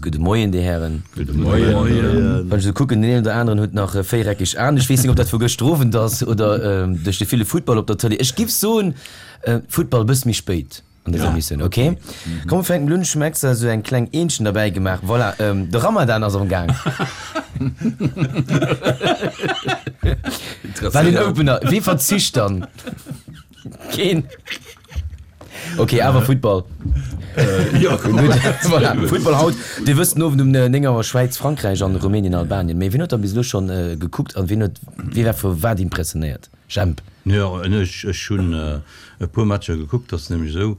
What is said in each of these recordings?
Gudde Moien, Dir Hären. Gudde Moien. Wann ech esou kucken, deen een oder aneren huet nach véiereckeg Aen. Ech weess net, ob dat vu gëschter Owend ass oder duerch de ville Futtball op der Tëlee. Ech giff soen, Futtball e bësse méi spéit an dëser Emissioun. Ok, komm mir fänken emol un. Ech hu mer extra esou eng kleng Eentchen derbäi gemaach. Voilà, de Ramadan ass am Gaang. War den Opener. Wee verzicht dann? Keen. Ok, awer Futtball. Voilà, Futtball haut. Dir wësst, den Owend um 9 Auer Schwäiz, Frankräich an Rumänien, Albanien. Mee wien huet dann bis elo schonn gekuckt an wien huet, wee war vu wat impressionéiert? Jemp. Jo, ech ech hunn e puer Matcher gekuckt. Ass nämlech esou,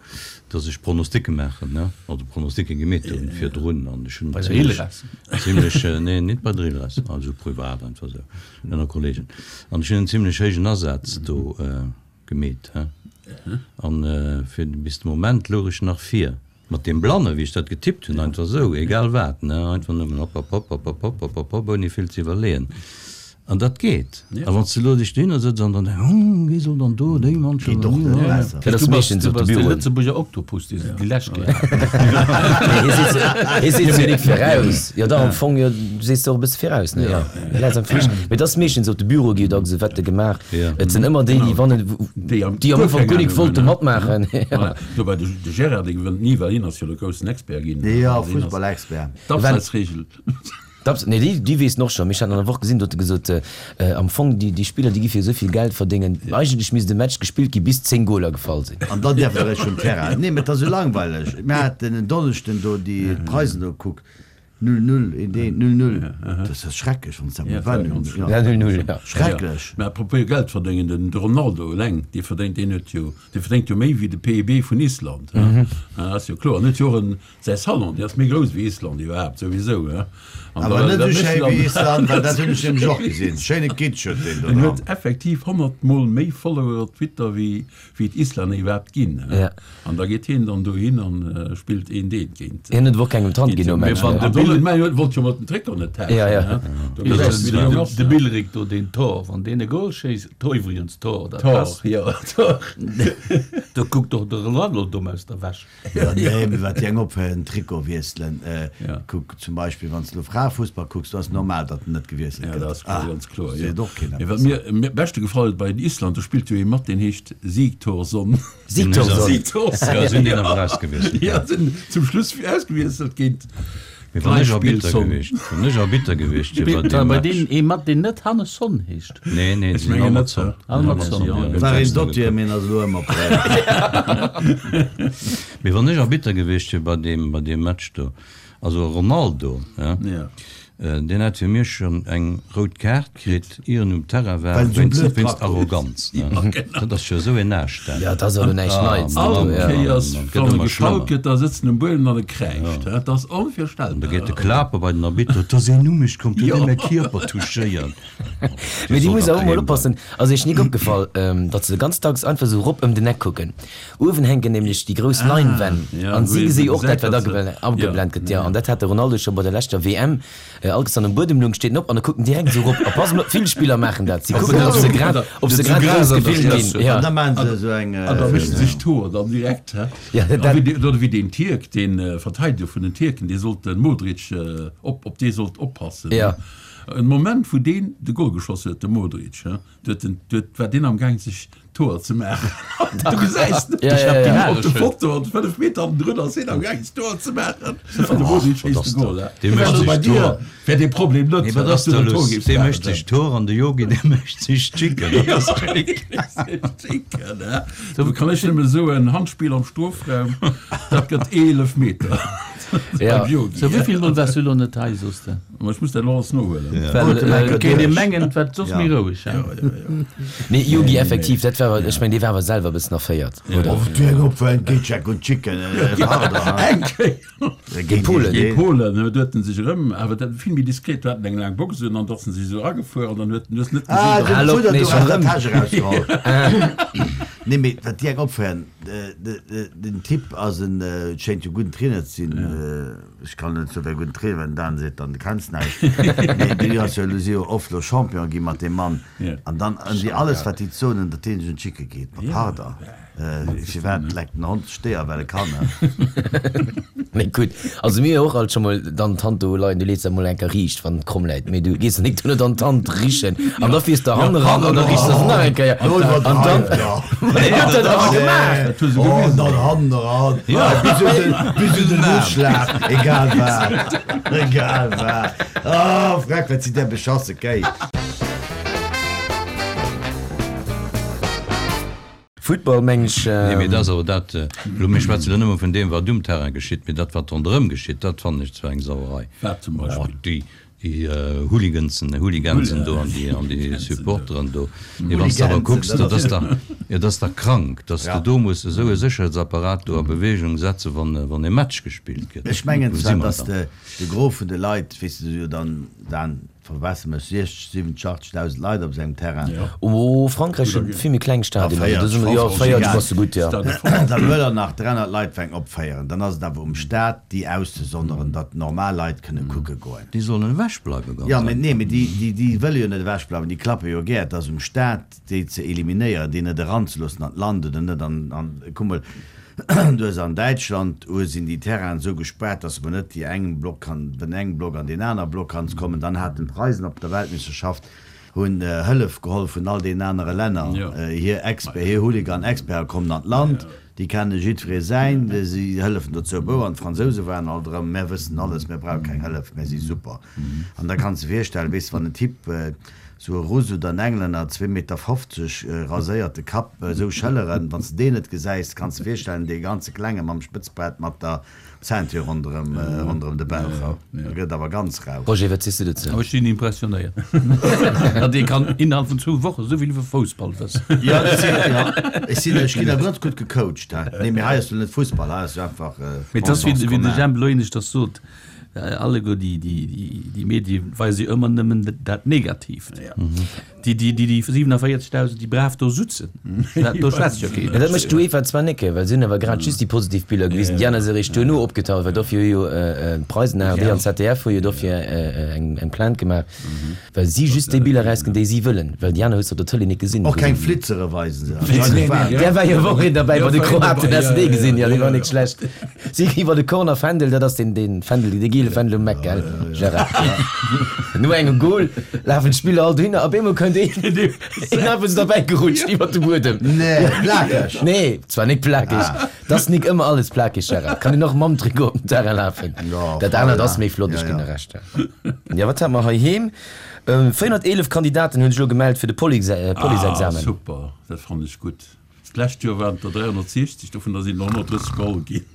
datt ech Pronosticke maachen, ne, also Pronosticke gemeet hunn virdrun an ech hunn Bei der Ilres? zimlech, nee, nit bei der Ilres, also privat einfach esou ënner Kollegen. An ech hunn en zimlech héijen Asaz do gemeet, he. An fir bis de Moment louch ech nach vir. Mat deem Blanne wéi ech dat getippt hunn, einfach esou, egal wat, ne, einfach nëmmen hopp, hopp, hopp, hopp, hopp, hopp, hopp, hopp, hopp, ouni vill ze iwwerleeën. An dat geet. A wann s de elo dech dohinner sëtz an dann denks, Hm, wéi soll dann do déi Mannschaft Geet och net besser. Dat ass Du bass, meeschtens du op de bass de Büroen. Lëtzebuerger Oktopus, dee se déi lescht Kéier haten. Nee, hie seet se, hie seet se jo nik viraus. Jo dach, am Fong, jo, du sees se och e bësse viraus, ne? Jo, hie läit am Flicht. Mee et ass meeschtens op de Büroe gi jo dacks esou Wette gemaach. Et sinn ëmmer déi, déi wannen, Déi am déi am guer Ufank keng guer nik Ahnung wollte hunn, ne? matmaachen. Voilà. Dobäi, de, de Gérard, dee gewënnt ni, well hien ass jo de groussen Expert ginn. Jo, Also hien ass Fussballexpert. d'Abseitsregel. D'Abs, nee, déi, déi weess en och schonn. Mee ech hat an der Woch gesinn, do huet e gesot, am Fong, déi, déi Spiller, déi gi fir esou vill Geld verdéngen, eigentlech misst e Match gespillt gi bis 10 Goler gefall sinn. An dann däerf e réischt vum Terrain. Nee, mee et ass esou langweileg. Mir haten en Donneschden do déi Preisen do gekuckt. Null, null, eent, eent, null, null. Dat ass schrecklech, wann s de dat mol war. Null, null, Ja, null, null, ja. Schrecklech. Mä apropos Geld verdéngen, den Ronaldo eleng, dee verdéngt, deen huet jo, dee verdéngt jo méi wéi de PIB vun Island. Ass jo kloer. En huet jo och en Säi Salon, dee ass méi grouss wéi Island iwwerhaapt, souwisou, he. An Awer net esou schéi wéi Island, well dat hunn ech nämlech och gesinn. Schéine Kitsch huet deen do En dran. huet effektiv 100 mol méi Follower op Twitter wéi wéi d'Islänner iwwerhaapt ginn, he. An da geet hien dann dohin an spillt een deen géint. Hien huet och kengem d'Hand ginn nom Match, ne? De Bill, mä hien wollt jo mat den Trikot net tauschen, he. Do gesäis de wéi de Jong ass, De ne. Billrick do, deen Thor, wann deen e Goal schéisst, Thor iwwregens, Thor, dat Thor, ass, jo, Thor. Do kuckt och de Ronaldo domm aus der Wäsch. Jo, nee, mee wat déi eng ophéieren, den Trikot wiesselen. Ja. Kuck zum Beispill, wann s de elo Fraefussball kucks, do ass et normal, datt en net gewiesselt Ja, gëtt. dat ass Ah, ganz kloer, jo. seet och keen Mee wat eppes. mir am beschte gefall huet bei den Island, do spillt jo ee mat, deen heescht Sigthorsson. Sigthorsson. Sigthorsson. Ja, sinn deen awer ausgewiesselt. Ja, sinn zum Schluss ausgewiesselt géint Mee wann ech Arbitter Gleichspielson. gewiescht, wann ech Arbitter gewiescht wier bei Bei deem bei deen Match. ee mat, deen net Hannes Son heescht. Nee, nee, Ech den mengen net, Almatzon. hä? Almatzon, ja. ja. War een Dossier, mee en ass elo ëmmer prett. Mee wann ech Arbitter gewiescht wier bei deem, bei deem Match do, also Ronaldo, ja, Ja. deen hätt fir mech schonn eng rout Kaart kritt, ier en um Terrain war, Well en esou wéinst, blöd wéinst dra krut. Arroganz, ne. Ja, genau. Dat ass jo esou een Aascht, dat. Ja, dat ass awer näischt Ah, Neits, Mann, ne? All Mann, Ja. Kéiers, Mann, gëtt wann e ëmmer gefault schlëmmer. gëtt, da sëtzt en um Buedem an e kräischt, hä? Dat ass An da onvirstellbar. geet de Klaper bei den Arbitter, Et ass een u mech komm, 't huet Jo. ee mäi Kierper touchéiert. Mee déi muss awer och mol oppassen. Ass iech nik opgefall, datt se ganz dacks einfach esou rop ëm den Eck kucken? Uewen hänken nämlech déi grouss Leinwänn an si gesi och dat, wat ageblent gëtt. Jo, an dat hat de Ronaldo scho bei der leschter WM. All Kéiers wann en um Buedem lung, steet en op an e kuckt direkt esou rop. A pass mol op, vill Spiller maachen dat. Si kucken, ob se grad, ob se grad grouss gefilmt ginn. Jo. An da maachen se esou eng. An da mécht en sech d'Hoer dann direkt, hä? Ja, dat. Oder wéi deen Tierk, dee Verteideger vun den Tierken, dee sollt de Modric op, op dee sollt oppassen. Jo. En Moment wou deen de Goal geschoss huet, de Modric, he, du huet den, du huet, war deen am Gaang sech d'Hoer ze maachen. Du gesäis den Ja, ja, ja. op de Foto an 5 Meter hannendrun ass hien am Gaang sech d'Hoer ze maachen an de Modric schéisst de Goal, he. Dee mécht Also sech bei dir d'Hoer. wär dee Problem net, Nee, wat dass ass du da den Tor los? géifs Dee maachen. mécht sech d'Hoer an de Yogi, dee mécht sech d'Chicken. Dat ass schéin. Chicken, he. Do kann ech nëmme soen, Handspill am Strofraum, dat gëtt 11 Meter. Ja. Beim Yogi, Sou, he. wéivill Mol waars du elo net hei, soos de? Ma ech muss dat elo alles nohuelen. Well Huet et kéint ee duerch. mengen, et war soss Ja. méi roueg, hein? Ja, ja, ja. Nee, Yogi, effektiv, dat war, ech meng, dee war awer selwer e bëssen erféiert, oder? Och du eng opfalen, Geetscheck und Chicken, pardon. Eng Kéier. Géint Polen. Géint Polen huet en sech erëm, awer dat vill méi diskret, do hat en eng laang Box un an da ass en sech esou eragefuer an dann huet en, du hues net Ah, gesinn, den Hallo, Fudder nee, do schon aus der erëm. Täsch erausgeholl. Nee, mee wat déi eng opféieren. Den Typ ass en, et schéint jo gudden Trainer ze sinn. Ech kann net soen, wéi e gudden Trainer, well den Dan seet dann, du kenns näischt. Mee déi ass jo elo, si jo oft elo Champion gi mat deem Mann. An dann ëm déi alles, wat déi soen, datt deen sech un d'Schicke geet. Ma pardon. Firwat leckt den Hond d'Stéier? Well e kann, ne? Mee gutt, also mir hu och alt scho mol dann d'Hand do leien, du lees se mol eng Kéier riicht, wann et kromm läit, mee du gees dann nik duerno dann d'Hand richen an da fiers de hannen eran an da riichs de se nach eng Kéier an dann. Ma deen huet dat awer gemaach! Dat hu se gewisen. Oh, dann hannen eran, bis un den, bis un den Uschlag, egal wat, egal wat. Oh, freck, wat sinn där beschasse Kéi! Football meng ech. Nee, mee dat ass awer dat, elo mir schwätzen elo nëmme vun deem wat um Terrain geschitt, mee dat wat ronderëm geschitt, dat fannen ech zwar eng Sauerei. Wat zum Beispill? Oh, déi, déi Hooligansen, Hooligansen do an déi, an déi Supporteren do. Mee wann s de awer kucks, dat ass dach, et ass dach krank, datt s de do muss esou e Sécherheetsapparat do a Bewegung setzen, wann, wann e Match gespillt gëtt. Ech mengen zwar, datt de, de Gros vun de Leit, weess de jo dann, Dan, Verbessere mech, 60, 70, 80.000 Leit op sengem Terrain. Oh, Frankräich huet vill méi kleng Stadionen. Ah, 40, jo, 40 bass de gutt, jo. Dann wëll er nach 300 Leit fänken opféieren. Dann ass et awer um Staat, déi auszesonderen, datt normal Leit kënne kucke goen. Déi sollen ewechbleiwen, ganz Jo, mee einfach. nee, mee déi, déi, déi wëlle jo net ewechbleiwen, déi klappe jo gär. Et ass um Staat, déi ze eliminéieren, déi net eranzeloossen an d'Land oder net an, an, kuck mol, du hues an Däitschland, hu sinn déi Terrainen esou gespaart, dass mer net déi engem Block kann, vun engem Block an deen aner Block kanns kommen. Dann haten d'Preisen op der Weltmeeschterschaft hunn Hëllef geholl vun all deenen anere Länner, hir Exper, hir Hooligan-Experten kommen an d'Land, déi kenne jiddweree säin, si hëllefen dozou bou an d'Fransouse waren alt erëm, mär wëssen alles, mär brauche keng Hëllef, mär si super. An da kanns de virstellen, weess de, wann en Typ, Sou e Russ oder en Englänner, zwee Meter 50, raséierte Kapp, esou Schëlleren, wann s de deen net gesäis, kanns de virstellen, dee ganze Klenge mam Spëtzbart mat der Ceinture ronderëm, ronderëm de Bauch, da gëtt et awer ganz rau. Roger, wat sees du dozou? Ech sinn impressionéiert, datt ee kann innerhalb vun zwou Woche esou vill iwwer Foussball wëssen. Jo, ech sinn, jo, ech sinn, ech ginn awer ganz gutt gecoacht, he. Nee, mee hei ass jo net Fussball, hei ass jo einfach Mee et ass, wéi de Jemp elo éineschters sot, Alleguer déi Medie weise jo ëmmer nëmmen dat Negatiivt. Déi 47.000, déi brav do sutzen, do schwätzt jo keen. Mä dat mécht d'UEFA zwar nik, well si hunn awer grad just déi positiv Biller gewisen. Déi aner si eréischt duerno opgetaucht, well dofir hu jo d'Preisen, ARD an ZDF hu jo dofir eng Plainte gemaach, well si just déi Biller erausginn, déi si wëllen, well déi aner hues de op der Tëlee nik gesinn. Och keng Flitzere weisen se. Där war jo och een derbäi bei de Kroaten, has de dee gesinn? Jo, dee war nik schlecht. Si iwwer de Corner Fändel, dat ass deen deen Fändel, dee giele Fändel um Eck, gell Gérard? No engem Goal lafen d'Spiller all dohinner, op eemol kënnt een, een einfach sou derbäi gerutscht iwwer de Buedem. Nee, plakeg? Nee, zwar nik plakeg, 't ass nik ëmmer alles plakeg, Gérard, kann een och mam Trikot op den Terrain lafen. Dat anert ass méi flott, ech ginn der Recht. Jo, wat hat mer heiheem? 411 Kandidaten hunn sech elo gemellt fir de Policeexamen. Ah, super, dat fannen ech gutt. D'lescht Joer waren et der 360, dovunner sinn der 130 geholl ginn.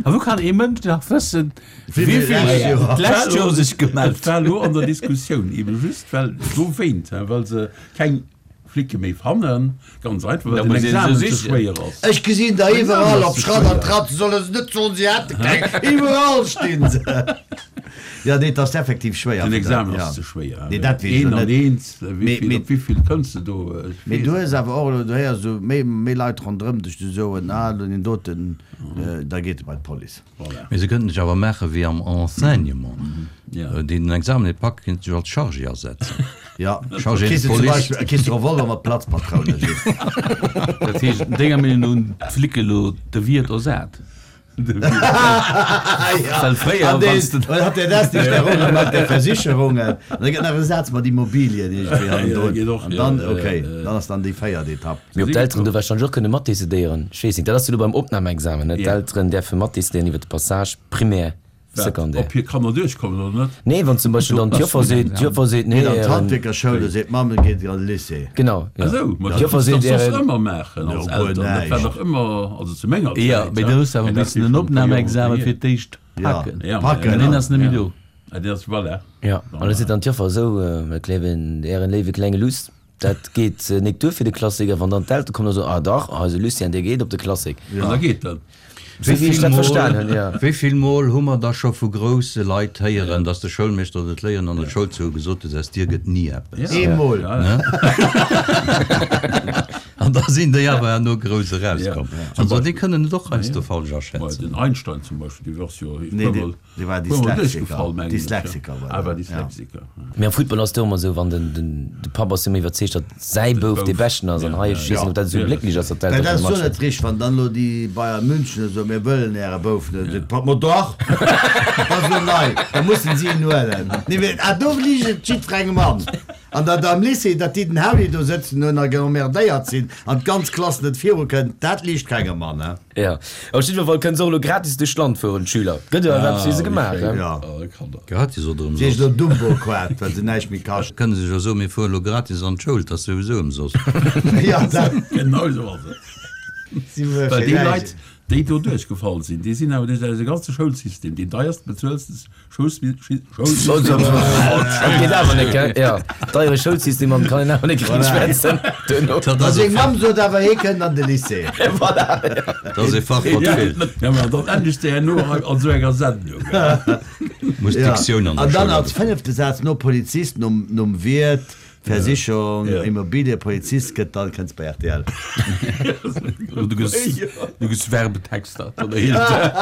A wou kann ee Mënsch nach wëssen, wéi vill d'lescht Joer sech gemellt Et war elo an der Diskussioun, ebe just well dowéint, well se keng Flicke méi fannen, ganz einfach, well den Examen ze schwéier ass. Ech gesinn der iwwerall op Schratt an Tratt, se solle se net soen, se hätte keng, iwwerall stinn se. Jo, nee, et ass effektiv schwéier. Den Examen ass ze schwéier. Nee, dat weess ech elo net. Een an eens, wéi op wéi vill kënns de do? Mee du hues awer och elo, du héiers esou méi, méi Leit ronderëm dech, déi soen, ah, elo deen doten, da geet e bei d'Police. Voilà. Mee se kënnten sech awer maache wéi am Enseignement, déi den Examen net packe, kéinte sech als Chargé asetzen. Ja, Chargé de kriss de zum police. Beispill, kriss de Revolver mat Platzpatroune just. Dat heescht, denger Meenung no hunn d'Flicke elo de Wiert ersat? Well fréier, wann s de. Hat der das nicht herum mat der Versicherungen? An da gëtt nach e Saz mat Immobilien iergendwéi hannendrun. An dann, okay, dann ass dann déi véiert Etapp. Mee ob d'Elteren do warscheinlech och kënne matdecidéieren, ech weess net. Dat ass jo elo beim Opnamexamen, net? D'Elteren däerfe matdecidéieren iwwer de Passage primaire. Wat, ob hir Kanner duerchkommen oder net? Nee, wann zum Beispill dann d'Joffer seet, d'Joffer seet, nee, Geet an d'Handwierkerschoul, da seet d'Mamm, et geet an de Lycée. Genau, jo. Esou, ma dat D'Joffer muss seet, dach soss ären. ëmmer maachen als Jo, guer Eltern. Dat war näischt. dach ëmmer, also zu menger Zäit, Jo, mee du hues awer Mee dat missen si en schonn e puer Joren Opnamexamen hier. fir d'éischt Ja, packen. Ja, ma packen. An deen ass net méi do. Ja, deen ass, voilà. Jo, an da seet dann d'Joffer, esou, et léiwen, ären léiwe klenge Luss, dat geet nik duer fir de Klassik. A wann dann d'Eltere kommen a soen, ah dach, eise Lucien, dee geet op de Klassik. An da geet en. Sou wéi ech dat verstan hunn, jo. Wéi vill Mol hu mer da scho vu grousse Leit héieren, dass de Schoulmeeschter oder d'Léierin an der Schoul zu gesot huet, aus dir gëtt ni eppes. Eemol. An. An da sinn déi awer herno grouss erauskomm. Also déi kënnen et och heiansdo falsch aschätzen. Den Einstein zum Beispill, dee ass jo Nee, dee dee war Dyslexiker. Dyslexiker war Ah, war Dyslexiker. Mee am Futtball ass et och ëmmer esou, wann den, den, de Papp ass jo ëmmer iwwerzeegt, datt säi Bouf dee Beschten ass. An hei, ech weess net, ob dat esou glécklech ass, datt Mä d'Eltere dat ass vum jo Match. net richteg, wann dann elo déi Bayern München esou, mir wëllen äre Bouf net, seet de Papp, ma dach, dat ass elo nei, da mussen si en huelen. Nee, mee, ah, do liicht et jiddwerengem an. An datt am Lycée, datt déi den Hauli do sëtzen hunn a geemmerdéiert sinn an d'ganz Klass net virukënnt, dat liicht kengem an, he? Jo, op jiddwer Fall kënne se och elo gratis duerch d'Land fueren, d'Schüler. Gëtt jo awer eppes fir se gemaach, he? Jo. Gratis oder Si heescht ëmsoss? elo Dumbo Quad, well se näischt méi kascht. Kënne se jo soen, mir fueren elo gratis an d'Schoul, 't ass souwisou ëmsoss. Jo, dat. Genau esou ass et. Si wuel Well fir déi näischt. Leit, déi do duerchgefall sinn, déi sinn awer duerch eise ganze Schoulsystem, deen deierst bezuelste Dat geet awer net, gell? Jo, deiere Schoulsystem an kann een awer net richteg schwätzen duerno. A seng Mamm sot awer, hie kënnt an de Lycée. Voilà, jo. Dat ass ee Fach, wat feelt. Ja, ma dann endegst de herno an esou enger Sendung. Muss d'Diktioun an der An Schoul dann als agebaut. fënnefte Saz no Polizist, nom, nom Wiert, Versicherung, Immobilie, Polizist gëtt, dann kënns bei rtl. Du gëss, du gëss Werbetexter. Oder heescht dat?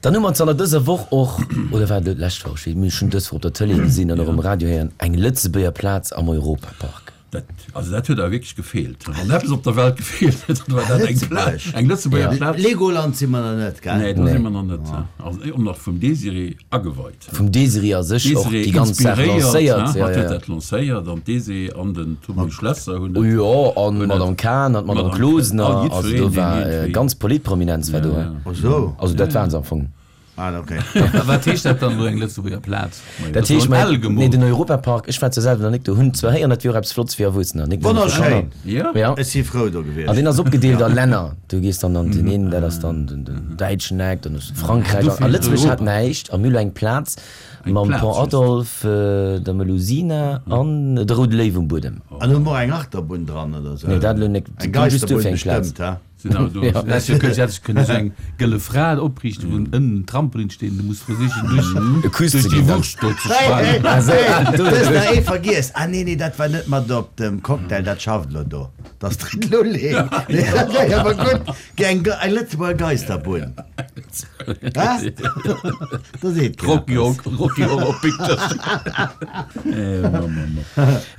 Dann hu mer zanter dëser Woch och, oder war et elo d'lescht Woch, ech weess, mir hunn dës Woch op der Tëlee gesinn an och um Radio héieren, eng Lëtzebuerger Plaz am Europapark. Dat, also dat huet awer wierklech gefeelt. Wann eppes op der Welt gefeelt huet, dann war dat eng Plaz, eng Lëtzebuerger Plaz. Legoland si mer nach net, gell? Nee, do si mer nach net. Also och nach vum Désirée ageweit. Vum Désirée a sech och déi ganz Saach lancéiert. Hatt huet dat lancéiert an d'Désirée an den Tommy Schlesser hunn et. Jo, an d'Madame Cahen an d'Madame Closener. Also do war ganz Politprominenz war do. Also dat waren se am Fong. Ah, ok. A wat heescht dat dann elo, eng Lëtzebuerger Plaz? Dat heescht, mä, nee, den Europapark, ech war zwar selwer nach nik do, hunn zwar héieren, dat wier och eppes Flottes fir Erwuessener, nik nëmme fir Kanner. Wonnerschéin! Ja. Ech si frou do gewiescht. An deen ass opgedeelt a Länner. Du gees dann an den een, dat ass dann den, den däitschen Eck, dann ass Frankräich. A Lëtzebuerg hat näischt. A mir hu lo eng Plaz mam Pont Adolphe, der Melusina an de Roude Léiw um Buedem. An hu mer och eng Achterbunn dran oder sou? Nee, dat elo nik. Eng Just Geisterbunn duerfir eng Plaz. bestëmmt, he? Hätt kënne sou eng gëlle Fra opriichten, wou ënnen en Trampolin steet an du muss versichen duerch déi Wurscht do ze sprangen. Hey, du hues nach ee vergiess. Ah nee, nee, dat war net mat op dem Cocktail, dat schafft elo do. Dat ass de Lulling. Dat wär awer gutt. Eng Lëtzebuerger Geisterbunn. Hä? Da seet keen Rocky eppes. Rocky Horror Picture Show.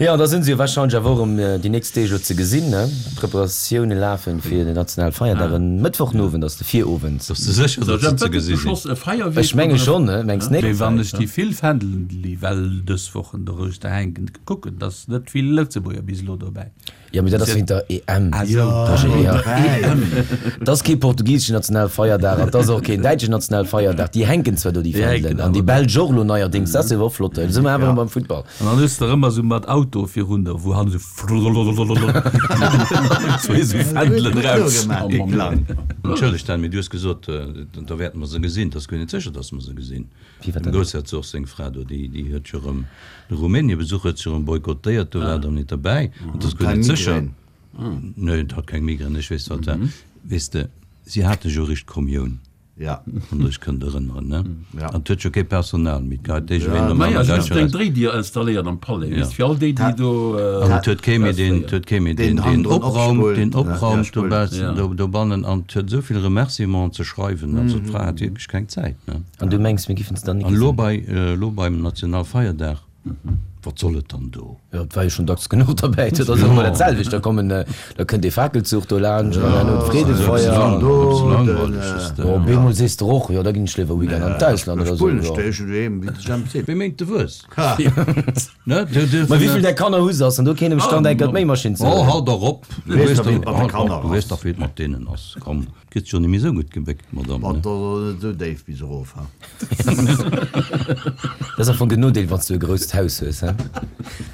Jo, da sinn se jo warscheinlech awer och erëm déi nächst Deeg elo ze gesinn, ne? D'Preparatioune lafen fir den nationale Feierdag. En Mëttwochenowend ass de Virowend. Bass de sécher, datt se ze gesi sinn? Ech menge schonn, ne? Mengs net? Mee wann ech déi vill Fändelen, déi well dës Wochen doruechter hänken, kucken, et ass net vill Lëtzebuerger bis elo dobäi. Jo, mee dat ass wéint der EM. Ah sou, Roger, jo. Et ass kee portugiseschen Nationalfeierdag an et ass och keen däitschen Nationalfeierdag. Déi hänken zwar do, déi Fändelen, an déi belsch och elo neierdéngs. Dat ass jo och flott. Elo si mer awer erëm beim Futtball. An dann hues de erëm esou mat Auto virun der, wou hannen esou frrrrrrrrrrrrrrr zwee esou Fändelen raus. Entschëllegt, Dan, mee du hues gesot, da wäerte mer se gesinn. Et ass guer net sécher, datt mer se gesinn. Dem Groussherzog seng Fra do, déi huet jo erëm de Rumäniebesuch huet se jo erëm boykottéiert, do war et erëm net derbäi. An et ass guer net sécher. Nee, et hat keng Migrän, ech weess wat war. Weess de, si hate jo eréischt d'Kommioun, wann Der iech kënnt erënneren, ne? An et huet jo kee Personal méi, et geheit iergendween nom Maja, aneren si mussen Däitsche eng eraus. Dréidier installéieren am Palais, weess, fir all déi, déi do. An et huet kee méi deen, et huet kee méi deen, deen opraumt, deen opraumt dobaussen, dobannen. An et huet esou vill Remerciementen ze schreiwen, also d'Fra hat wierklech keng Zäit, ne? An du mengs, mir giffen se dann ni An elo gesinn? bei, elo beim Nationalfeierdag, wat soll et dann do? Jo, et war jo schonn dacks genuch derbäi. Dat ass ëmmer dat selwecht. Da kommen, da kënnt dee Fakelzuch do laanscht an herno d'Freedefeier. Ass e bësse langweileg, just. Jo, op eemol sees de och, jo, da ginn ech léiwer Weekend an d'Ausland oder esou. Wéi mengt de Wues? Ne? Ma wéivill där Kanner hu se? Ass dann do keen emstand, eng Kéier d'Méimaschinn ze Oh, huelen? hal dach op! Du weess dach, du weess dach, wéi et mat deenen ass. Komm. Gëtt jo nemmi sou gutt gebéckt, Madame, ne? Mat der net sou déif bis erof, ha? Dat ass am Fong den Nodeel, wann s du e grousst Haus hues, he?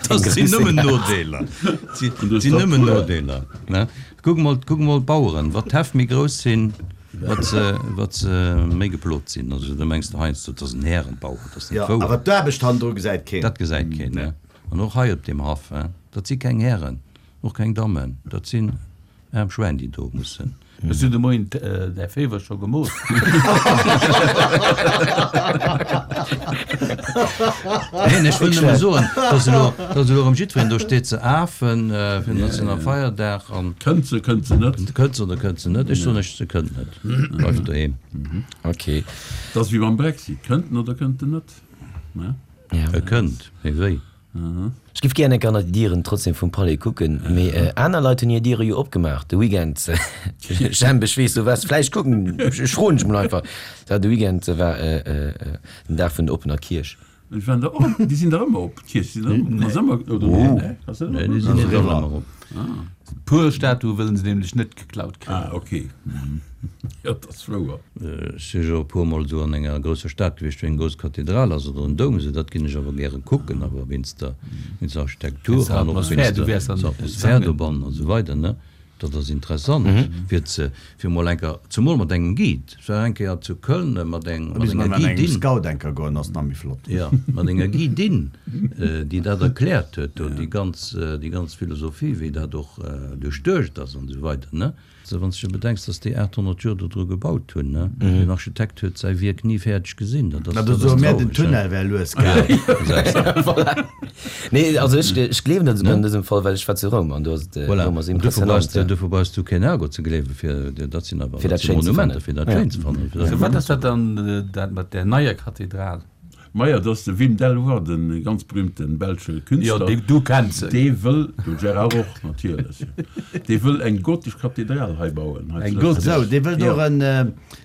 Dat sinn nëmmen Nodeeler. Dat sinn nëmmen Nodeeler, ne? Kuck mol, kuck mol d'Baueren, wat d'Häff méi grouss sinn, wat se, wat se méi geplot sinn. Also da mengs de heiansdo, dat ass en Härenbauer, dat ass net Jo, wouer. awer d'Aarbecht hannendru gesäit keen. Dat gesäit keen, ne? An och hei op deem Haff, he, dat si keng Hären, och keng Dammen, dat sinn aarm Schwäin, déi do mussen. Ech hunn de Moien däi Féiwer scho gemooss. Neen, ech wëll nëmme soen, dass elo, dass elo erëm jiddwereen do steet ze afen fir den Nationalfeierdag an. Kënnt se, kënnt se net? Kënnt se oder kënnt se net? Ech soen lech, se kënnt net. Bleift doheem. Ok. Dat ass wéi beim Brexit, Kënnt en oder kënnt en net? Ne? E kënnt, mee wéi? Ech giff gären enker ënner déi Dieren trotzdem vum Palais kucken, mee aner Leit hunn hir Diere jo opgemaach de Weekend. Jemp, ech weess du waars vläicht kucken, ech froen dech mol einfach. Dat de Weekend war den Dag vun der oppener Kierch. Déi waren der och, déi sinn der ëmmer op, d'Kierch sinn der ëmmer, ass ëmmer, oder nee? Ass ëmmer Nee, déi sinn net ëmmer op. Puer Statue wëllen se nämlech net geklaut kréien. Ah, ok. Jo, dat ass wouer. Ech si jo e puer mol esou an enger grousser Stad gewiescht, wou eng grouss Kathedral ass oder en Doum, esou dat ginn ech awer gäre kucken, awer wéinst der, wéinst der Architektur an och wéinst der Atmosphär dobannen an esou weider, ne. Dat ass interessant, fir ze, fir mol eng Kéier, zemol mat engem Guide. Ech war eng Kéier zu Köln mat eng, mat enger Guidin. Engem Scout eng Kéier goen, ass nach méi flott. Jo, mat enger Guidin, déi dat erkläert huet do, déi ganz, déi ganz Philosophie, wéi dat och duerchduecht ass an esou weider, ne. Wann s de bedenks, dass déi 800 Joer do dru gebaut hunn, ne? Den Architekt huet säi Wierk ni fäerdeg gesinn, dat ass, dat ass traureg. Mä den Tunnel wär lues gaang. Voilà. Nee, also ech, ech gleewen dat esouguer an dësem Fall, well ech war zu Roum an do ass et, Voilà. Roum ass An dofir brauchs impressionant, de, ja. dofir brauchs du keen Ergot ze gleewen, fir, dat sinn awer, Fir dat dat si schéin ze Monumenter, fannen. fir dat schéin ze fannen. Fir dat Wat ass dat dann, dat mat där neier Kathedral? Maja, dat ass de Wim Delvoye, de ganz berühmte belsche Künstler. Jo, dee, du kenns en. Dee wëll, de Gérard och natierlech, dee wëll eng gotesch Kathedral hei bauen, hei Eng zu gotesch? Sou, dee wëllt Jo. och en,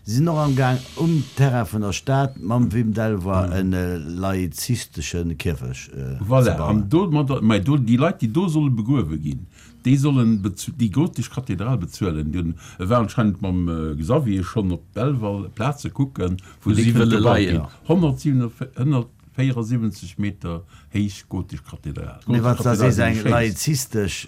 si sinn och am Gaang um Terrain vun der Stad mam Wim Delvoye en laizistesche Kierfech ze Voilà, bauen. an domadder, mä do, déi Leit, déi do solle begruewe ginn, déi sollen déi gotesch Kathedral bezuelen. Déi hunn, e war anscheinend mam Xavier schonn op Belval Plaze kucken, wou si wëlle leien. 174 Meter héich gotesch Kathedral. Mee wann s de da sees eng laizistesch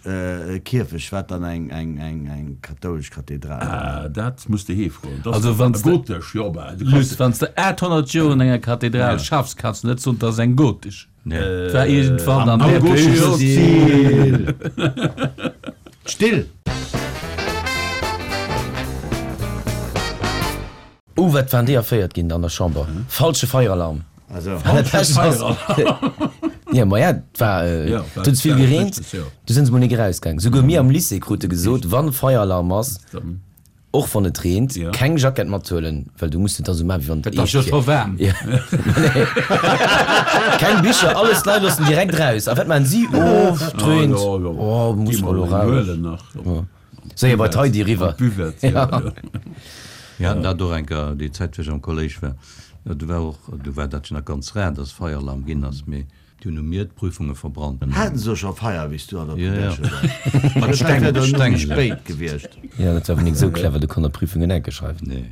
Kierfech, wat dann eng kathoulesch Kathedral? Ah, dat muss de hee froen. Also wann s de, Gotesch, jo, bah, du Luss, wann s de 800 Joer an enger Kathedral schaffs, kanns de net soen, 't ass eng gotesch. Et war iergendwann an Am där gotesche Period. Stil. Still! Oh wat waren déi erféiert ginn an der Chamber. Falsche Feieralarm. Jo maja et war et huet ze vill gereent, du sinn se mol nik erausgaang. Souguer mir am Lycée krute gesot, wann Feieralarm ass, och wann et reent, keng Jackett mathuelen, well du muss et da sou maachen wéi wann et Et ass jo eescht scho waarm. wier. Keng Bicher, alles d'Leit loossen direkt raus. A wat maachen si? Oh et reent, oh muss mer elo raus. Séier bei d'Heidi eriwwer. Mir haten dat och eng Kéier, déi Zäit wou ech am Kolléisch war, do war och, do war dat jo nach ganz rar, dass Feieralarm ginn ass, mee déi hunn u mir d'Prüfunge verbrannt. Haten se scho Feier wéi s du an der Jo, jo. Primärschoul waars? Mat Dat Steng, wär dann Steng. méi spéit gewiescht. Jo, dat war awer nik esou clever, du konnt der Prüfungen enke schreiwen. Nee.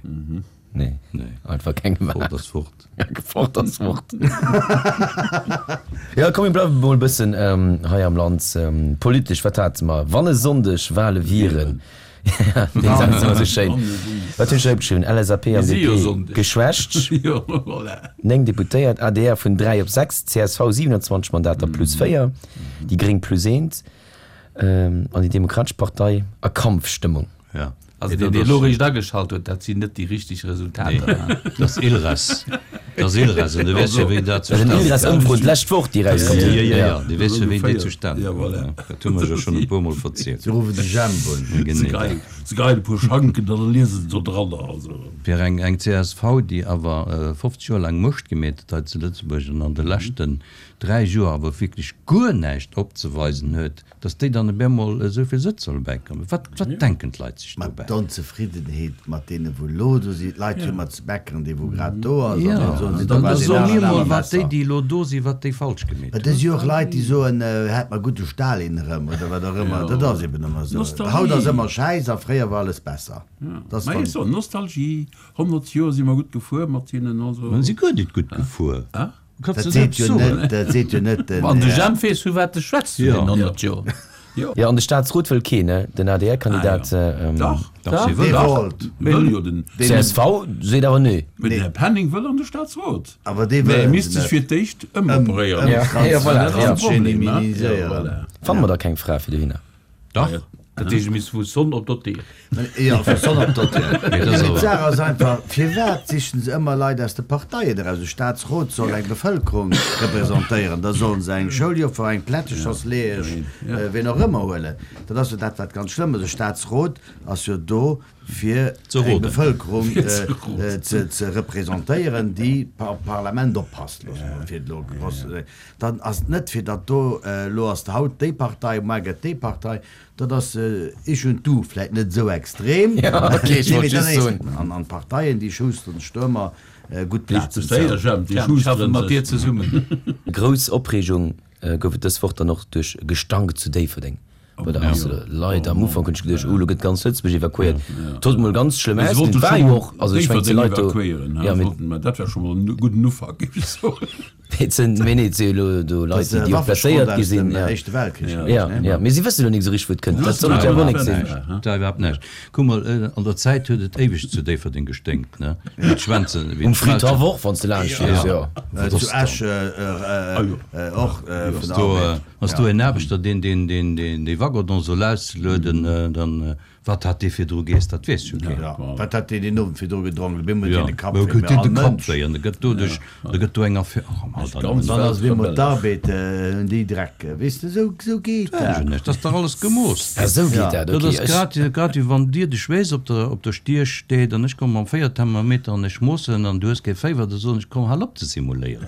Nee. Nee. Einfach keng Fort gemaach. ass fort. Fort ass fort. Jo, komm mir bleiwe mol e bëssen hei am Land. Politesch, wat hate mer? Wann e Sonndeg Wale wieren, dee Saz ass ëmmer esou schéin. Wat hunn ech hei opgeschriwwen? LSAP an Mir si jo DP Sonndeg. geschwächt, Jo, voilà. 9 Deputéiert, adr vun 3 op 6, csv 27 Mandater plus 4, déi Gréng plus eent an déi Demokratesch Partei a Kampfstëmmung. Ja. Also deen, deen elo réischt ageschalt huet, dat sinn net déi richteg Resultater. Nee, dat ass ILRES. Dat ass ILRES an du weess jo, wéi dat Dat ass en zustane ILRES-Ëmfro d'lescht Woch, déi erauskomm Ja, sinn. ja, ja, ja, du weess jo, wéi déi zustane Ja, koum. voilà. Dat hu mer jo schonn e puermol verzielt. Se ruffen de Jemp un. Ja, Se genee. geien, se geien e puer Schanken, dann liese se do dranner. Also. Fir eng, eng csv, déi awer 50 Joer laang Muecht gemeet huet hei zu Lëtzebuerg an an de leschten 3 Joer awer wierklech guer näischt opzeweisen huet, Dass déi dann op eemol esou vill Sëtz solle bäikommen, wat, wat denken d'Leit sech Mat dobäi? d'Onzefriddenheet mat deene wou elo do sinn, d'Leit hu mat ze meckeren, dee wou grad do ass, an Jo, dann soen si, dann da war deen so mir aneren mol, awer wat déi, besser. déi elo do sinn, wat déi falsch gemeet Et si hunn. jo och Leit, déi soen, hätt mer gutt de Stalin erëm oder wat och ëmmer. Dat ass eben ëmmer esou. Haut ass Nostalgie. ëmmer Schäiss a fréier war alles besser. Dat ass Mä ech dann. soen, Nostalgie, 100 Joer si mer gutt gefuer mat hinnen, also. Mä si guer nit gutt gefuer. Dat seet jo net, dat seet jo net den Wann de Här. Jemp weess, vu wat de schwätzt, vun den 100 Joer. Jo, an de Staatsrot wëll keen, ne? Den ADR-Kandidat. Dach, Dach, si Dee wëll. wollt. Wëll jo den. Csv seet awer nee. Mee den Här Penning wëll an de Staatsrot. Awer dee Mä e wëllen misst se sech net. fir d'éischt ëmoperéieren. Ja, voilà, ja. Dat ass de Problem, ne? Transgeniminiséieren. Fanne mer da keng Fra fir dohinner? Dach. Dat heescht, mir vu Sonn op Dottir. Jo, vu Sonn op Dottir. Mee d'Saach ass einfach, firwat sichen se ëmmer Leit aus de Parteien eraus? E Staatsrot soll eng Bevëlkerung representéieren, da sollen se eng Schouljoffer, eng Plättechersleeësch, wien och ëmmer huelen. Dat ass jo dat, wat ganz schlëmm ass. E Staatsrot ass jo do, fir eng Bevëlkerung ze representéieren, déi op d'Parlament oppasst, loosse mer fir elo gross ze soen. Dann ass et net, fir datt do elo ass haut déi Partei, muar gëtt déi Partei. Dat ass ich und du, vläicht net esou extrem, an d'Parteien, déi schousteren sech do ëmmer gutt Plazen zou. Mat dir zesummen. Grouss Opreegung gouf et dës Woch dann och duerch Gestank zu Déifferdeng. Bei der Ass Leit am Ufank hunn ech geduecht, oh lo gëtt ganz Lëtzebuerg evakuéiert. Et huet mol ganz schlëmm ausgesinn, et war jo och, also ech mengen, et si Leit do, jo, mee dat war scho mol en gudden Ufank, géif ech soen. Et sinn, mee nee, et si jo elo do Leit, déi och blesséiert gi sinn, jo. Jo, jo, mee si wëssen elo nik esou richteg, wou et kënnt. Dat soll et jo awer och nik sinn. Dat war iwwerhaapt näischt. Kuck mol, an der Zäit huet et éiweg zu Déifferdeng gesténkt, ne? Wéi d'Schwänzen, wéi Um Fridhaff och, wann s de laanscht fiers, jo. Zu Esch och vun der Arbed. Ass do en Aarbechter, deen deen dee Waggon soll auslueden, dann, wat hat dee virdru geess, dat weess jo keen. Wat hat deen deen Owend virdru gedronk, op eemol huet deen de Kapp wéi, mee all Mënsch. An da gëtt doduerch, da gëtt do eng Affär, och am Alter. Dann ass op eemol d'Arbed, hunn déi Dreck, weess de, esou, esou geet dat. Dat ass dach alles gemooss. Ah, esou geet dat, ok. Dat ass grad, grad wéi wann dir de Schweess op der, op der Stier steet an ech komme mam Féierthermometer an ech moossen an du hues kee Féiwer, da soen ech, komm, hal op ze simuléieren,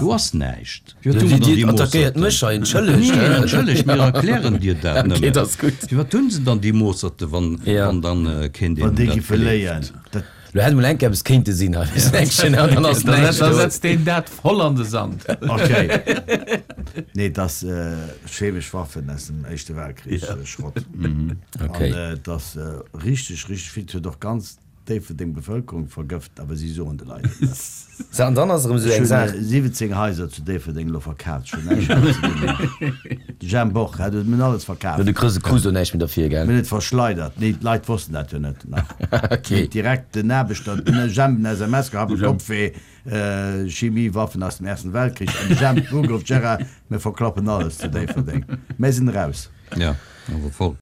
do ass näischt. Dir attackéiert mech hei, entschëllegt. Nee, entschëllegt, mir erklären dir dat nëmmen. Okay, dat ass gutt. Firwat hunn se dann déi Moosserte, wann dann keen deen dat gleeft? Lo hätt emol enk eppes kéinte sinn hei, dann ass näischt do. Da setzt deen dat voll an de Sand. Okay. Nee, et ass chemesch Waffen aus dem Éischte Weltkrich, Schrott. Okay. An et ass richteg, richteg vill. Et huet och ganz Déifferdeng Bevëlkerung vergëft, awer si soen de Leit et net. Sou, an dann ass erëm esou eng Saach. Ech hunn 17 Haiser zu Déifferdeng elo verkaaft, ech hunn näischt méi ze dinn. De Jhemp och, hat huet mir alles verkaaft. Jo, du krus, krus do näischt méi derfir, gell? Mir hunn et verschleidert. Nee, d'Leit wossten dat jo net nach. Okay. Huet direkt den Aarbechter, den Jhemp en SMS gehat, Hab e Kopfweh, Chemiewaffen aus dem Ersten Weltkrich. An de Jhemp ugeruff, Gérard, mir verklappen alles zu Déifferdeng. Mir sinn eraus. Jo, awer voll.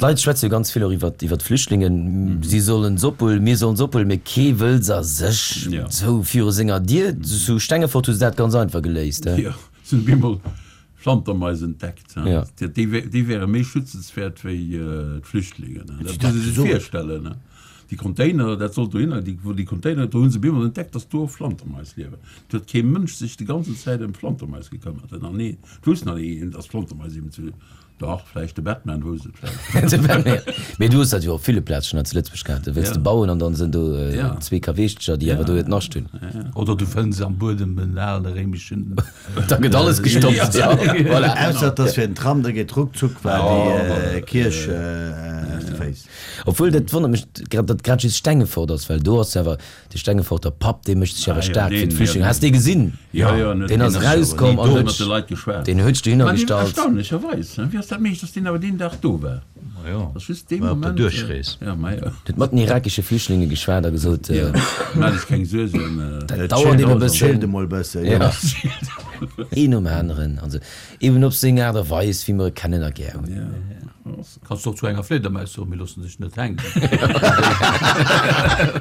D'Leit schwätze jo ganz vill och iwwer iwwer d'Flüchtlingen. Si sollen se ophuelen, mir sollen se ophuelen, mee kee wëll se a sech sou viru senger Dier. Zu Stengefort hu se dat ganz einfach geléist, he? Jo, se hunn op eemol Flantermais entdeckt. Déi wäre méi schützenswäert wéi d'Flüchtlingen. Dat muss ee sech virstellen. Déi Container, dat sollt dohinner, déi, wou déi Container, do hu se bemol entdeckt, datt do och Flantermais liewen. Et huet kee Mënsch sech de ganzen Zäit ëm Flantermais gekëmmert. An nee, et wousst nach ni een, datt Flantermais eben zu, dach, vläicht de Batman wousst et vläicht. De Batman, mee du hues dat jo op ville Plaze schonn hei zu Lëtzebuerg gehat. Do wëlls de bauen an dann sinn do zwee Kaweechtecher, déi awer do hiert Nascht hunn. Oder du fënns am Buedem en ale réimeschen. Da gëtt alles gestoppt, ja, voilà. Ausser et ass fir den Tram, da geet ruckzuck war déi Kierch aus de Féiss. Obwuel, dat wonnert mech grad, datt grad just Stengefort ass, well do ass jo awer de Stengeforter Papp, dee mécht sech awer staark fir d'Flüchtlinge. Has de dee gesinn? Deen ass erauskomm an huet deen huet sech dohinner gestallt. Erstaunlecherweis, wéi ass dat méiglech, datt deen awer deen Dag do war? Ass just dee Moment. Huet mat den irakesche Flüchtlinge geschwat a gesot, Maach dech keng Suergen. Dat dauert eben e bëssen. Chillt emol e bëssen, jo. Een nom aneren, also eben op seng Aart a Weis, wéi mer e kennen a gär hunn. Kanns och zu enger Fliedermaus soen, mir loossen sech net hänken.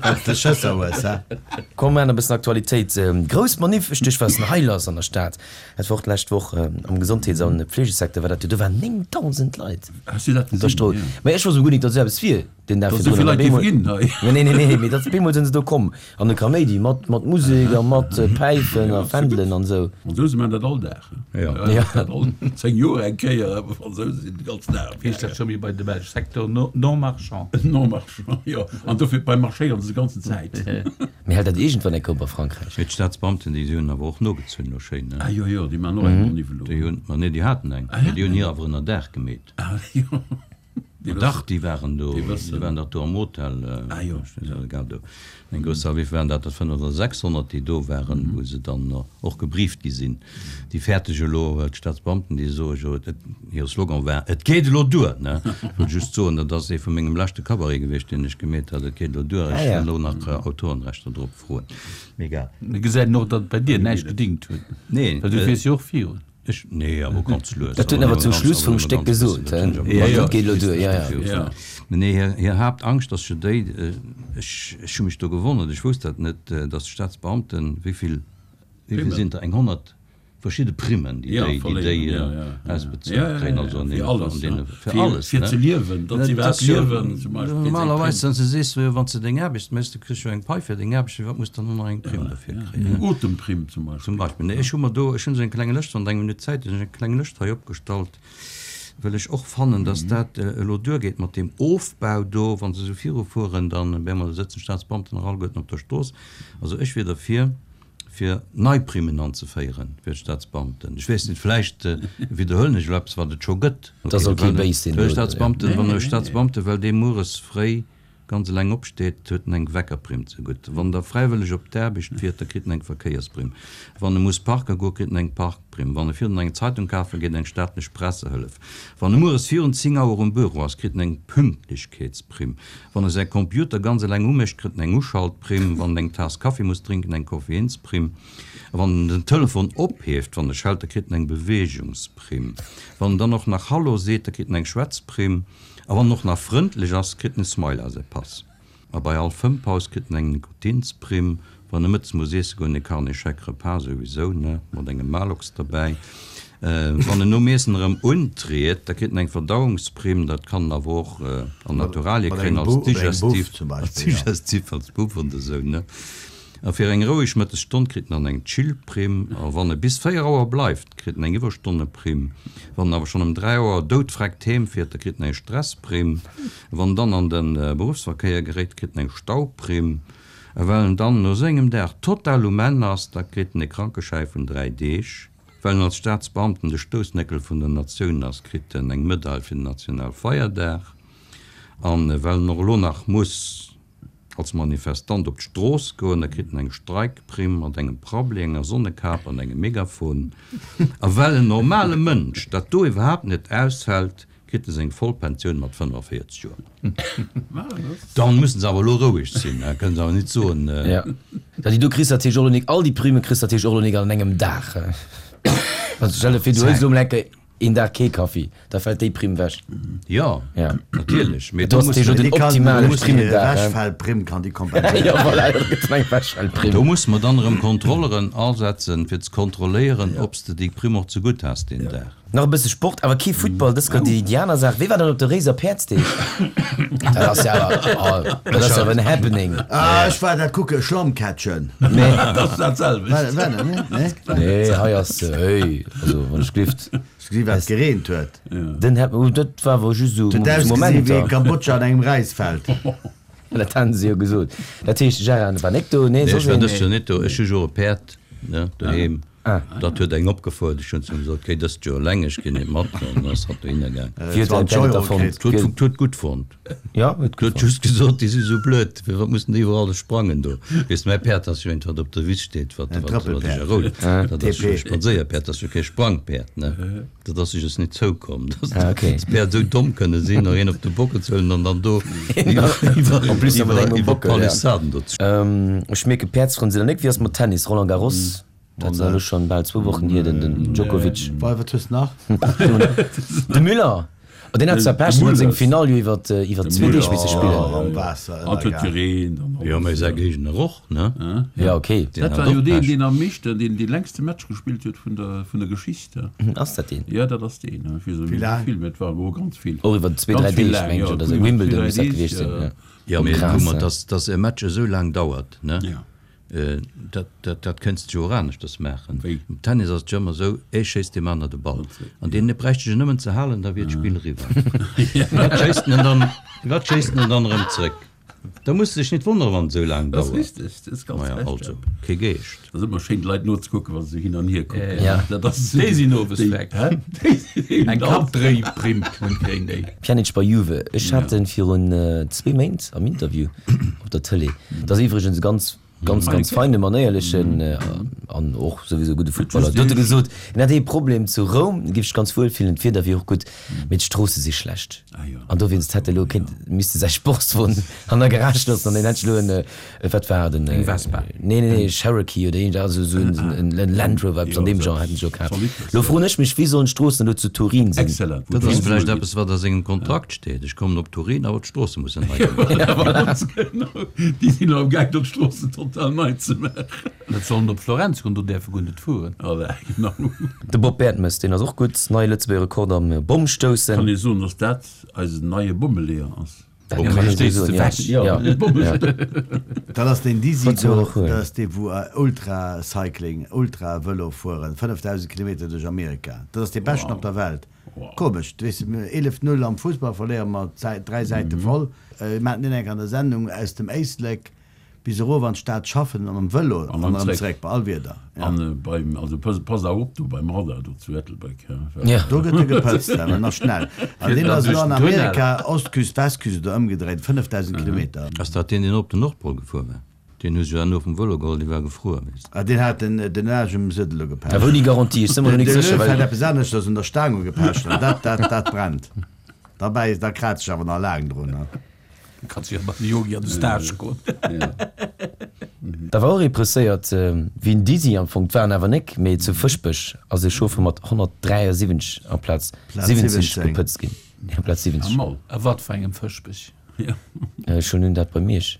Wanns de Schësser hues, he? Komm maachen e bëssen Aktualitéit. Grouss Maniff, ech duecht wat ass denn hei lass an der Stad? Dat war och d'lescht Woch am Gesondheets an Pflegesecteur war dat jo, do waren 9.000 Leit Has du dat op der gesinn? Strooss. Mä ech wosst guer nik, datt esou eppes wier den Dag Datt esou virdrun. vill An Leit op géife eemol, ginn hei. nee nee nee, mee datt op eemol sinn se do komm an de Kaméidi mat mat Musek a mat Päifen a Fändelen an esou. D'Fransouse maachen dat all Dag. Jo. Ja. Dat all 10 Joer eng Kéier, awer Fransouse sinn de ganzen Dag am Heescht dat scho méi bei de Belsch Secteur non marchand? Non marchand, jo. An dofir beim marchéieren se de ganzen Zäit. Mee hält dat iergendwann eng Koup a Frankräich? Mee d'Staatsbeamten, déi hunn awer och nogezunn elo schéin, ne? Ah jo, jo, déi maachen och eng Manif elo. Déi hunn, ma nee, déi haten eng, mee déi hunn hir awer ënnerdaach gemeet. Ah jo. Ma dach, déi waren do, déi waren dach do am Hotel, egal, do eng grouss Salle, wéivill waren dat, dat 500 oder 600, déi do waren, wou se dann och gebrieft gi sinn. Déi fäerteg elo, well d'Staatsbeamten, déi soe jo, et, hire Slogan war, Et geet elo duer! Ne? Ech wollt just soen, dat ass ee vu mengem leschte Cabaret gewiescht, deen ech gemeet hat, Et geet elo duer, ech wëll elo nach Autorenrechter drop froen. Mee egal. Mir gesäit och, datt et bei dir näischt gedingt huet, Nee. well du fiers jo och virun. Ech, nee, awer ganz lues. Dat huet en awer zum Schluss vum Stéck gesot, he? Dat geet elo duer, jo, jo. Mee nee, hir, hir Haaptangscht ass jo déi, ech, ech hu mech do gewonnert, ech wousst dat net, datt d'Staatsbeamten, wéi vill, wéi vill sinn der, eng 100 verschidde Primmen, déi déi, déi déi ausbezuelt kréien, also an deene, an deene, fir alles, ne? Fir ze liewen, datt se iwwerhaapt liewen, zum Beispill. Normalerweis, wann s de sees, wann s de deng Aarbecht méchs, du kriss jo eng Pai fir deng Aarbecht, firwat muss dann och nach eng Primm derfir kréien? Eng Otemprimm zum Beispill. Zum Beispill. Nee, ech hu mer do, ech hunn esou eng kleng Lëscht, wann Der eng Minutt Zäit hutt, hunn ech eng kleng Lëscht hei opgestallt, well ech och fannen, dass dat elo duergeet mat deem Ofbau do. Wa se esou virufueren, dann op eemol sëtzen d'Staatsbeamten nach alleguerten op der Strooss. Also ech wier derfir, fir nei Primmen anzeféieren fir d'Staatsbeamten. Ech weess net, vläicht widderhuelen ech elo eppes, wat et scho gëtt. Da soll kee béis sinn. Staatsbeamten, wann e Staatsbeamte, well dee mueres fréi ganz eleng opsteet, huet en eng Weckerprimm zegutt. Wann der fräiwëlleg op d'Aarbecht fiert, da kritt en eng Verkéiersprimm. Wann e muss parke goen, kritt en eng Parkprimm. Wann e virun eng Zeitung kafe geet, eng staatlech Pressehëllef. Wann e mueres virun 10 Auer um Büro ass, kritt en eng Pünktlechkeetsprimm. Wann e säi Computer ganz eleng umécht, kritt en eng Uschaltprimm. Wann en eng Taass Kaffi muss drénken, eng Koffeinsprimm. A wann en den Telefon ophieft, wann e schellt, da kritt en eng Beweegungsprimm. Wann en dann och nach Hallo seet, da kritt en eng Schwätzprimm. A wann en och nach frëndlech ass, kritt en e Smile a säi Pass. A bei all Fëmmpaus kritt en eng Nikotinsprimm. Wann e mëttes muss iesse goen, e Carnet Chèque Repas souwisou, ne, mat engem Maalox derbäi. Wann en nom Iessen erëm untriet, da kritt en eng Verdauungsprimm. Dat kann en awer och an Naturalie kréien, als Digestif, als Digestif, als Buff oder esou, ne. A fir eng roueg Mëttesstonn kritt en dann eng Chill-Primm. A wann e bis 4 Auer bleift, kritt en eng Iwwerstonneprimm. Wann en awer schonn ëm 3 Auer doudfreckt heem fiert, da kritt en eng Stressprimm. Wann en dann an de Beruffsverkéier geréit, kritt en eng Stauprimm. A well en dann no sengem Dag total um Enn ass, da kritt en e Krankeschäi vun 3 Deeg. Well en als Staatsbeamten de Stoussnéckel vun der Natioun ass, kritt en eng Medail fir den Nationalfeierdag. A well en och elo nach muss als Manifestant op d'Strooss goen, da kritt en eng Streikprimm mat engem Prabbeli, enger Sonnekap an engem Megafon. A well en normale Mënsch dat do iwwerhaapt net aushält, kritt e seng voll Pensioun mat 45 Joer. Dann mussen se awer elo roueg sinn, da kënnen se awer nit soen. Jo, dat déi do kriss natierlech och elo nik, all déi Primme kriss natierlech och elo nik an engem Dag. Also stell der vir, du huels elo mol enke een Dag kee Kaffi, da fält déi Primm wech. Jo, natierlech, mee do muss mer den optimale Primmendag. Ewechfällprimm kann déi kompenséieren. Jo, voilà, da gëtt en eng Ewechfällprimm. Do musse mer dann erëm Kontrolleren asetzen, fir ze kontrolléieren, ob s de déi Primm och zegutt has deen Dag. Nach e bësse Sport, awer kee Futtball, dës gëtt déi aner Saach. Wee war dann op de Réiser Päerdsdeeg? Dat ass jo awer, oh, dat ass awer en Happening. Ah, ech war dat kucke, Schlammcatchen. Nee. Dat ass dat selwecht. War, war dat net? Nee? Nee, hei ass, héi, also wann ech glift. Hast du gesinn, wat gereent huet? Den Hap, oh, dat war awer just esou Et huet ausgesinn wéi Momenter. Kambodscha an engem Räisfeld. Dat haten se jo gesot. Dat heescht, Gérard war nek do? Nee, ech war dëst Joer net do. Ech hu jo e Päerd, ne, doheem. Dat huet eng opgefuert. Ech hunn zu him gesot, Géi dëst Joer eleng, ech ginn net mat. An dann ass hatt dohinner gaang. Wéi huet däin Päerd et da fonnt? Huet huet gutt fonnt. Jo, huet gutt fonnt. Huet just gesot, déi si sou blöd, firwat mussen déi iwwerall sprangen do? Weess de, mäi Päerd ass jo eent, wat op der Wiss steet, wat wat ech erholl. Dat ass jo e Spadséierpäerd, dat ass jo kee Sprangpäerd, ne? Dat ass sech es net zoukomm, dass d'Päerd esou domm kënne sinn, nach een op de Bockel ze huelen an dann do iwwer d'Palissaden do ze. Ech mierken, Päerdsfrënn sinn der nek. Wéi ass mat Tennis? Roland Garros, dat ass elo schonn bal zwou Wochen hier, den Djokovic. Wat hues de nach? De Müller, oh deen hat zwar Pech, deen huet seng Finall jo iwwer zwee Deeg misse spillen. Am Waasser An et huet gereent an Jo, mä säi Géigner och, ne? Jo, ok. Dat war jo deen, deen am meeschten, deen dee längste Match gespillt huet vun der, vun der Geschicht. Ass dat deen? Jo, dat ass deen. Ech weess elo net, wéi vill, mä et war elo ganz vill. Och iwwer zwee, dräi Deeg, meng ech, oder sou. Wimbledon muss dat gewiescht sinn, jo. Jo, mee kuck mol, dass, dass e Match esou laang dauert, ne? Dat, dat, dat kënns de jo och aneschters maachen. Wéi? Am Tennis ass et jo ëmmer esou, ee schéisst deem aner de Ball. An deen bräicht sech nëmmen ze halen, da wier d'Spill eriwwer. Firwat schéisst en dann, firwat schéisst en dann erëm zréck? Da muss de dech net wonneren, wann et esou laang Dat ass dauert. richteg, dat ass ganz Maja, recht, also, ja. kee Geescht. Dat ass ëmmer schéin, d'Leit nozekucken, wa se esou hin an hier kucken. Ja. Dat ass Déi sinn owes déi, weg. hä? Déi sinn Eng Kappdréiprimm kréien déi. Pjanic bei Juve, Ech hat en virun zwee Méint am Interview op der Tëlee. Dat ass iwwregens e ganz. Ganz, ganz feine, manéierlechen an och souwisou gudde Futtballer. Do huet e gesot, en hätt ee Problem zu Roum, e géif sech ganz wuel fillen, d'Wieder wier och gutt, mee d'Stroosse si schlecht. An dowéinst hätt e lo kéint, misste säi Sportswon an der Garage loossen an deen hätt sech elo en, wat war et, en, Eng Vespa. Nee, nee, nee, Cherokee oder iergend, also esou en Land Rover, eppes an deem Genre hätt en sech elo kaf. Lo froen ech mech, wéi sollen d'Stroossen elo zu Turin sinn? Excellent. Dat ass vläicht eppes, wat a sengem Kontrakt steet, Ech kommen op Turin, awer d'Stroosse mussen nei gemaach ginn. Ja, voilà. Ganz genau. Déi sinn elo am Gaang, do d'Stroossen total nei ze maachen. Net sollen op Florenz goen, do däerf e guer net fueren. Voilà, genau. De Bob Bertemes, deen ass och gutt. Neie Lëtzebuerger Rekord am Bommstoussen. Kann ee soen, dass dat eisen neie Bommeleeër ass? Dat kann een esou soen, ja. Ja. Dat ass deen Dizzy Wat soll do, och huelen. dat ass dee wou Ultra-Cycling, Ultra-Vëlo fueren, 5000 Kilometer duerch Amerika. Dat ass dee beschten op der Welt. Komesch, du weess, 11, 0 am Fussball verléiere mer 3 Säite voll. Mir haten deen eng Kéier an der Sendung, aus dem Éislek bis erof an d'Stad schaffen a mam Vëlo an erëm zréck, bei all Wieder. An beim, also pass awer op do beim Radar do zu Ettelbréck, he, well. Do gëtt e gepëtzt, awer nach schnell. An deen ass elo an Amerika, Ostküst, Westküst oder ëmgedréit, 5000 Kilometer. Ass dat deen, deen op den Nordpol gefuer war? Deen hu se jo herno vum Vëlo geholl, dee war gefruer, weess de. Ah, deen hat den den Aarsch um Suedel ugepecht. Awer ouni Garantie, ech si mer elo nik De sécher, Löw well. hat eppes aneschters un der Staang ugepecht an dat, dat, dat brennt. Derbäi, da kraazt sech awer nach laang drun, ne? Du kanns jo mat dem Yogi an de Stage goen. Da war och ee presséiert wéi en Dizzy am Fong, 't war en awer nek, mee zu Fëschbech ass e Chauffer mat 173 amplaz 70 gepëtzt ginn. Amplaz 70. A wat fir engem Fëschbech? Ech hunn dat bei Miersch.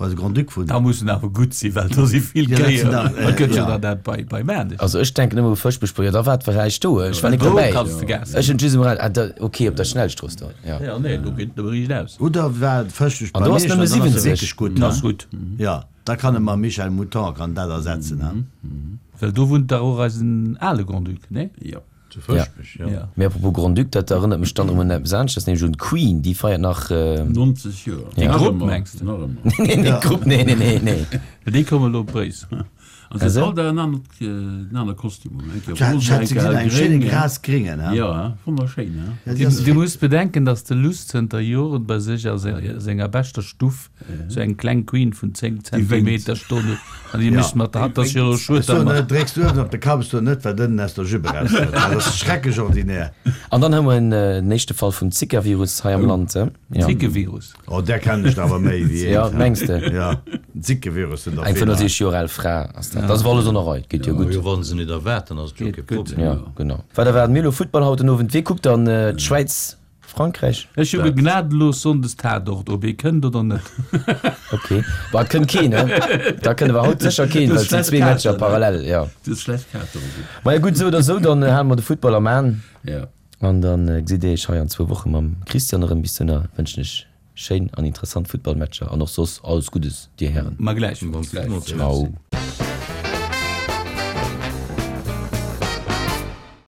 Wou eise Grand-Duc wunnt. Da muss en awer gutt sinn, well do si vill Ja, dat Kéier. sinn der, Et gëtt jo ja. dann dat bei, bei Maarnech. Also ech denken ëmmer u Fëschbech, jo da war et vläicht do, ech war nik Do dobäi. kanns de Gas Ech hunn just um Radio, ah da, ok, op der Schnellstrooss do, jo. Ja, nee, do geet et nëmme riicht aus. Oder war et Fëschbech An bei do ass Miersch, nëmme an dann ass e 70. wierklech gutt, Ass ne? gutt. Ja, da kann e mam Michel Mouton kann dat ersetzen, ne? Well do wunnt dach och eisen ale Grand-Duc, nee? Jo. Zu Fëschbech, jo. Ja. Mee apropos Grand-Duc, dat erënnert mech dann erëm un eppes aneschters, nämlech un d'Queen, déi feiert nach. 90 Joer. Ja. Déi Nach Grupp, ëmmer, mengs de? nach ëmmer. Nee, nee, d'Grupp, nee, nee, nee, nee. Well déi komme elo op Bréissel. An se huet all Dag en anert, en anert Kostüm un. Eng Kéier Ech rosa, hat eng se Kéier gesinn, eng schéine gréng. grasgringen, he? Ja, he? Wonnerschéin, he? Ja, déi ass Du muss bedenken, dass de Luss zënter Joren bei sech a senger beschter Stuff Sou eng kleng Queen vun 10 Zentimeter stoen huet an déi mécht mat der Hand, dass jo elo schued, Ech soen net, drécks du uewen op de Kapp, ech soen net, wat ënnen aus der Jupe erauskënnt, dat ass schrecklech ordinär. An dann hu mer en éischte Fall vum Zika-Virus hei am Land. Ja. Zikevirus? Oh, där kennen ech der awer méi wéi eent. Ja, mengs de? Ja, Zikevirus sinn der Eng vill. 65 Joer al Fra ass dat. Dat ass awer alles an der Rei, geet jo gutt. Jo, wa se net erwaarten, ass et jo kee Problem. Ja, genau. Wat erwaarden mir elo? Futtball haut den Owend. Wee kuckt dann d'Schwäiz Frankräich? Ech hu gnadelos Sonndes Tatort, ob ee kënnt oder net. Ok, bah et kënnt keen, he? Da kënnt awer haut sécher keen, well et sinn zwee Matcher parallel, jo. Du hues schlecht Kaarte Roger. Maja gutt, esou oder esou, dann hale mer de Futtball am An. Ja. An da gesitt dir iech hei an zwou Woche mam Christian erëm. Bis dohinner wënschen ech schéin an interessant Futtballmatcher an och soss alles Guddes, dir Hären. Ma gläichfalls. Ciao.